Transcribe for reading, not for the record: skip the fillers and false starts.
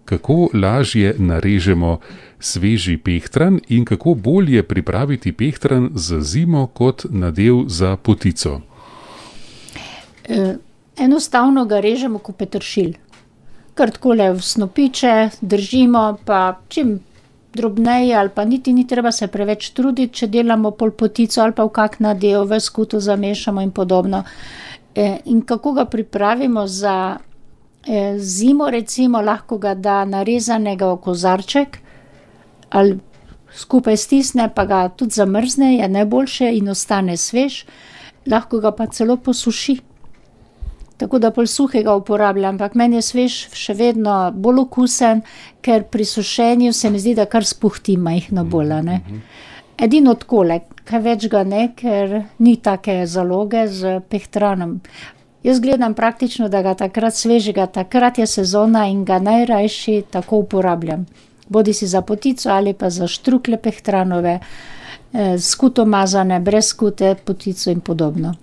kako lažje narežemo sveži pehtran in kako bolje pripraviti pehtran za zimo kot nadev za potico. Enostavno ga režemo kot peteršilj. Kar takole v snopiče držimo, pa čim drobneje ali pa niti ni treba se preveč truditi, če delamo pol potico ali pa v kak nadev, v skuto zamešamo in podobno. In kako ga pripravimo za zimo, recimo, lahko ga da narezanega v kozarček ali skupaj stisne, pa ga tudi zamrzne, je najboljše in ostane svež. Lahko ga pa celo posuši. Tako da pol suhega uporabljam, ampak meni je svež še vedno bolj okusen, ker pri sušenju se mi zdi, da kar spuhti majhno bolj, a ne. Edino takole, kaj več ga ne, ker ni take zaloge s pehtranom. Jaz gledam praktično, da ga takrat svežega, takrat je sezona in ga najrajši tako uporabljam. Bodisi za potico ali pa za štruklje pehtranove, skuto mazane, brez skute, potico in podobno.